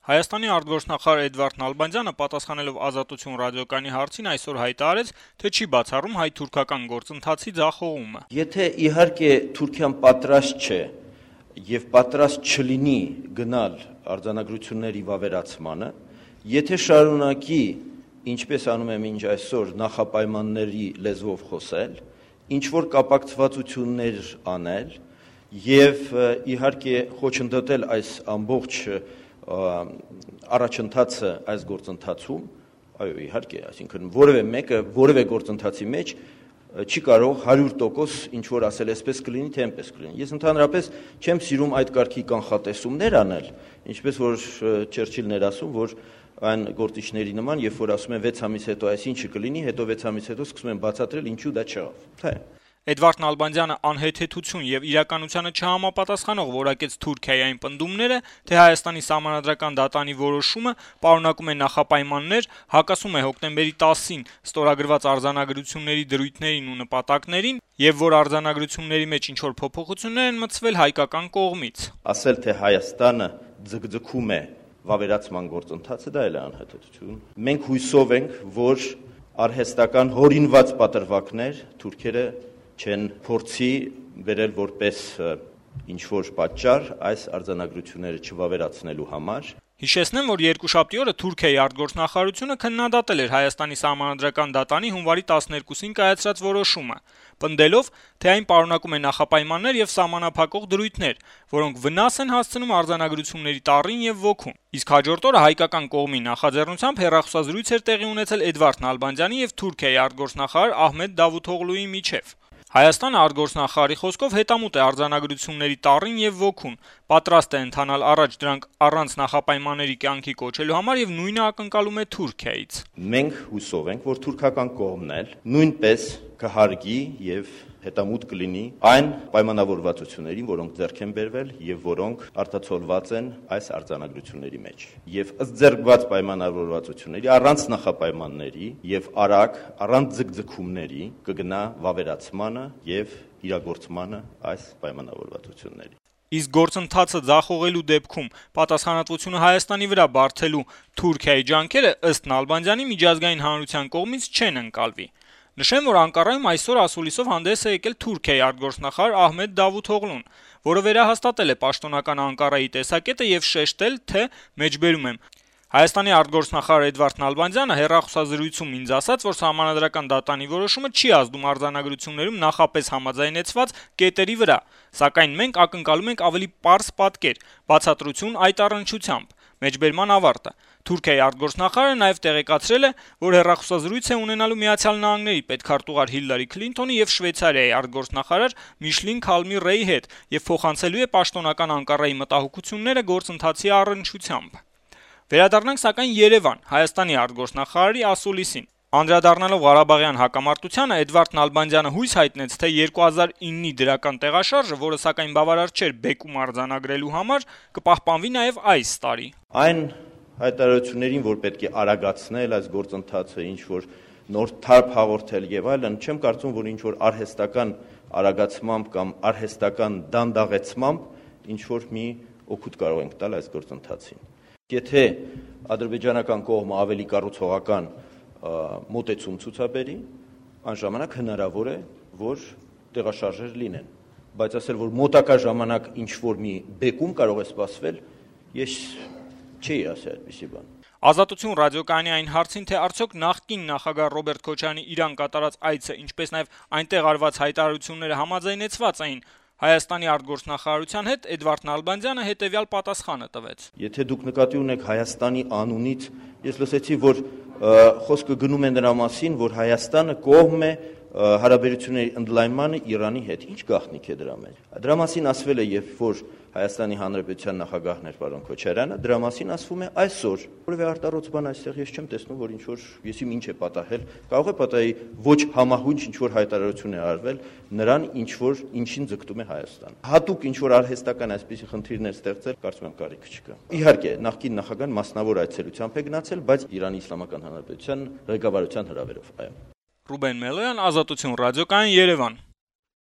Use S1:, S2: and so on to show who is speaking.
S1: Հայաստանի արտգործնախարար Էդվարդ Նալբանդյանը պատասխանելով Ազատություն ռադիոկայանի հարցին այսօր հայտարարեց, թե չի բացառում հայ-թուրքական գործընթացի ձախողումը։
S2: Եթե իհարկե Թուրքիան պատրաստ չէ եւ պատրաստ չլինի գնալ արձանագրությունների վավերացմանը, եթե շարունակի, ինչպես անում է մինչ այսօր, նախապայմանների լեզվով խոսել, ինչ որ կապակցվածություններ անել եւ իհարկե խոչընդոտել այս ամբողջ առաջընթացը այս գործընթացում, այո, իհարկե, այսինքն որևէ մեկը որևէ գործընթացի մեջ չի կարող 100% ինչ որ ասել այսպես կլինի, թե այնպես կլինի։ Ես ընդհանրապես չեմ սիրում այդ կարգի կանխատեսումներ անել, ինչպես որ Չերչիլն էր ասում, որ այն գործիչների նման, երբ որ ասում են 6 ամիս հետո այսինչը կլինի, հետո 6 ամիս հետո սկսում են բացատրել ինչու դա չեղավ։ Թե
S1: Էդվարդ Նալբանդյանը անհեթեթություն եւ իրականությանը չհամապատասխանող որակեց Թուրքիայի այն պնդումները, թե Հայաստանի սահմանադրական դատանի որոշումը պարունակում է նախապայմաններ, հակասում է հոկտեմբերի 10-ին ստորագրված արձանագրությունների դրույթներին ու նպատակներին եւ որ արձանագրությունների մեջ ինչ որ փոփոխություններ են մտցվել հայկական կողմից։
S2: Ասել թե Հայաստանը ձգձգում է վավերացման գործընթացը, դա էլ է անհեթեթություն։ Մենք հույսով ենք, որ արհեստական հորինված պատրվակներ թուրքերը չեն փորձի վերել որպես ինչ-որ պատճառ այս արձանագրությունները չվավերացնելու համար։
S1: Հիշեցնեմ, որ երկուշաբթի օրը Թուրքիայի արտգործնախարարությունը քննադատել էր Հայաստանի սահմանադրական դատանի հունվարի 12-ին կայացրած որոշումը, պնդելով, թե այն պարունակում է նախապայմաններ եւ սահմանափակող դրույթներ, որոնք վնաս են հասցնում արձանագրությունների տառին եւ ոգուն։ Իսկ հաջորդ օրը հայկական կողմի նախաձեռնությամբ հեռախոսազրույց էր տեղի ունեցել Էդվարդ Նալբանդյանի եւ Թուրքիայի արտգործնախարար Ահմեդ Դավութօղլուի միջեւ։ Հայաստանը արտգործնախարարի խոսքով հետամուտ է արձանագրությունների տառին եւ ոգուն, պատրաստ է ընթանալ առաջ դրանք առանց նախապայմանների կյանքի կոչելու համար եւ նույնը ակնկալում է Թուրքիայից։
S2: Մենք հուսով ենք, որ թուրքական կողմն էլ նույնպես կհարգի եւ հետամուտ կլինի այն պայմանավորվածություններին, որոնք ձեռք են բերվել եւ որոնք արտացոլված են այս արձանագրությունների մեջ։ Եվ ըստ ձեռքված պայմանավորվածությունների առանց նախապայմանների եւ արագ, առանց ձգձգումների կգնա վավերացմանը եւ իրագործմանը այս պայմանավորվածությունների։
S1: Իսկ գործընթացը ձախողելու դեպքում պատասխանատվությունը Հայաստանի վրա բարթելու Թուրքիայի ջանքերը ըստ Նալբանդյանի միջազգային հանրության կողմից չեն ընկալվի։ Նշեմ, որ Անկարայում այսօր ասուլիսով հանդես է եկել Թուրքիայի արտգործնախարար Ահմեդ Դավութօղլուն, որը վերահաստատել է պաշտոնական Անկարայի տեսակետը եւ շեշտել, թե մեջբերում եմ Հայաստանի արտգործնախարար Էդվարդ Նալբանդյանը հեռախոսազրույցում ինձ ասաց, որ սահմանադրական դատանի որոշումը չի ազդում արձանագրություններում նախապես համաձայնեցված կետերի վրա, սակայն մենք ակնկալում ենք ավելի պարզ պատկեր, բացատրություն այդ առնչությամբ։ Մեջբերման ավարտը։ Թուրքիայի արտգործնախարարը նաև տեղեկացրել է, որ հեռախոսազրույց է ունենալու Միացյալ Նահանգների պետքարտուղար Հիլարի Քլինթոնի եւ Շվեյցարիայի արտգործնախարար Միշլին Քալմի Ռեյի հետ եւ փոխանցելու է պաշտոնական Անկարայի մտահոգությունները գործընթացի առնչությամբ։ Վերադառնանք սակայն Երևան, Հայաստանի արտգործնախարարի ասուլիսին։ Անդրադառնալով Ղարաբաղյան հակամարտությանը Էդվարդ Նալբանդյանը հույս հայտնեց, թե 2009-ի դրական տեղաշարժը, որը սակայն բավարար չէր բեկում արձանագրելու համար, կպահպանվի նաև այս տարի։
S2: Այն հայտարարություններին, որ պետք է արագացնել այս գործընթացը, ինչ որ նոր թարփ հաղորդել եւ այլն, չեմ կարծում, որ ինչ որ արհեստական արագացմամբ կամ արհեստական դանդաղեցմամբ ինչ որ մի օգուտ կարող ենք տալ այս գործընթացին։ Եթե ադրբեջանական կողմը ավելի կառուցողական մոտեցում ցուցաբերի, անժամանակ հնարավոր է, որ տեղաշարժեր լինեն, բայց ասել, որ մոտակա ժամանակ ինչ որ մի բեկում կարող է սպասվել, ես չի ասել այդպիսի բան։
S1: Ազատություն ռադիոկայանի այն հարցին, թե արդյոք նախկին նախագահ Ռոբերտ Քոչարյանի Իրան կատարած այցը, ինչպես նաև այնտեղ արված հայտարարությունները համաձայնեցված էին Հայաստանի արտգործնախարարության հետ, Էդվարդ Նալբանդյանը հետևյալ պատասխանը տվեց.
S2: Եթե դուք նկատի ունեք Հայաստանի անունից, ես լսեցի, որ խոսքը գնում է նրա մասին, որ Հայաստանը կողմ է հարաբերությունների ընդլայնմանը Իրանի հետ։ Ինչ գաղտնիք է դրա մեջ։ Դրա մասին ասվել է, երբ որ Հայաստանի Հանրապետության նախագահն էր պարոն Քոչարյանը, դրա մասին ասվում է այսօր։ Որևէ արտառոց բան այստեղ ես չեմ տեսնում, որ ինչ որ եսիմ ինչ է պատահել։ Կարող է պատահի ոչ համահունչ ինչ որ հայտարարություն է արվել նրան, ինչ որ ինչին ձգտում է Հայաստանը։ Հատուկ ինչ որ արհեստական այսպիսի խնդիրներ ստեղծել, կարծում եմ կարիք չկա։ Իհարկե, նախկին նախագահան մասնավոր այցելությամբ է գնացել, բայց Իրանի Իսլամական Հանրապետության ղեկավարության հրավերով, այո։
S1: Ռուբեն Մելոյան, Ազատություն ռադիոկայան, Երևան։